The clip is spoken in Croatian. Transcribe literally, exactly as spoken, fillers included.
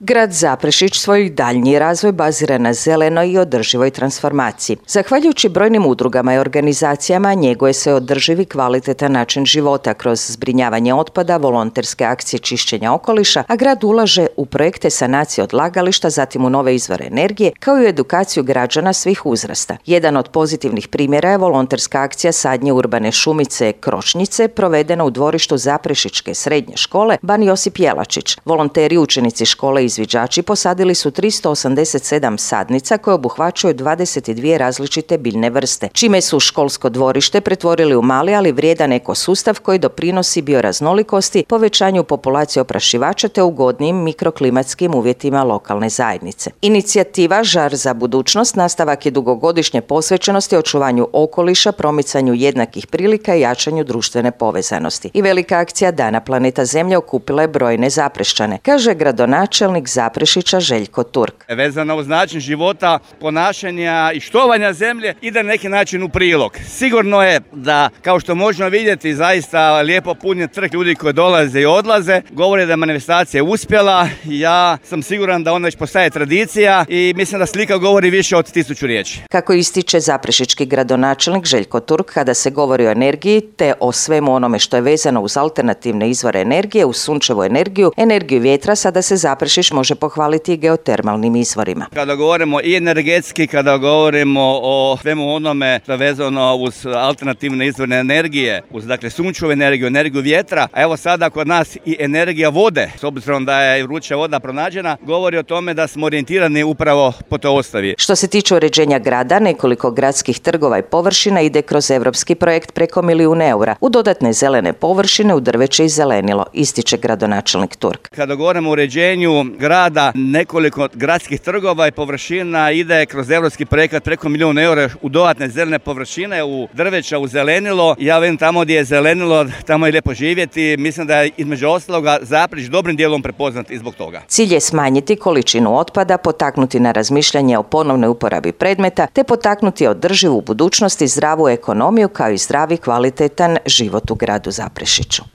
Grad Zaprešić svoj daljnji razvoj bazira na zelenoj i održivoj transformaciji. Zahvaljujući brojnim udrugama i organizacijama njeguje se održivi kvalitetan način života kroz zbrinjavanje otpada, volonterske akcije čišćenja okoliša, a grad ulaže u projekte sanacije odlagališta, zatim u nove izvore energije, kao i u edukaciju građana svih uzrasta. Jedan od pozitivnih primjera je volonterska akcija sadnje urbane šumice Kročnjice, provedena u dvorištu Zaprešićke srednje škole Ban Josip Jelačić. Volonteri učenici škole izviđači posadili su tristo osamdeset sedam sadnica koje obuhvaćaju dvadeset dvije različite biljne vrste, čime su školsko dvorište pretvorili u mali, ali vrijedan ekosustav koji doprinosi bioraznolikosti, povećanju populacije oprašivača te ugodnijim mikroklimatskim uvjetima lokalne zajednice. Inicijativa Žar za budućnost nastavak je dugogodišnje posvećenosti očuvanju okoliša, promicanju jednakih prilika i jačanju društvene povezanosti. I velika akcija Dana planeta Zemlje okupila je brojne Zaprešćane, kaže gradonačelnik Zaprešića Željko Turk. Vezano uz način života, ponašanja i štovanja zemlje ide na neki način u prilog. Sigurno je da, kao što možemo vidjeti, zaista lijepo punjen trg ljudi koji dolaze i odlaze. Govori da je manifestacija uspjela. Ja sam siguran da ona već postaje tradicija i mislim da slika govori više od tisuću riječi. Kako ističe zaprešički gradonačelnik Željko Turk, kada se govori o energiji te o svemu onome što je vezano uz alternativne izvore energije, uz sunčevu energiju, energiju vjetra, sada se Zaprešić može pohvaliti i geotermalnim izvorima. Kada govorimo i energetski, kada govorimo o svemu onome što je vezano uz alternativne izvore energije, uz dakle sunčevu energiju, energiju vjetra, a evo sada kod nas i energija vode, s obzirom da je vruća voda pronađena, govori o tome da smo orijentirani upravo po toj osnovi. Što se tiče uređenja grada, nekoliko gradskih trgova i površina ide kroz evropski projekt preko milijun eura u dodatne zelene površine, u drveće i zelenilo, ističe gradonačelnik Turk. Kada govorimo o uređenju grada, nekoliko gradskih trgova i površina ide kroz evropski projekat preko milijun eura u dodatne zelene površine, u drveća, u zelenilo. Ja vidim tamo gdje je zelenilo, tamo je lijepo živjeti. Mislim da je između ostaloga Zaprešić dobrim dijelom prepoznat i zbog toga. Cilj je smanjiti količinu otpada, potaknuti na razmišljanje o ponovnoj uporabi predmeta, te potaknuti održivu budućnost i zdravu ekonomiju kao i zdravi kvalitetan život u gradu Zaprešiću.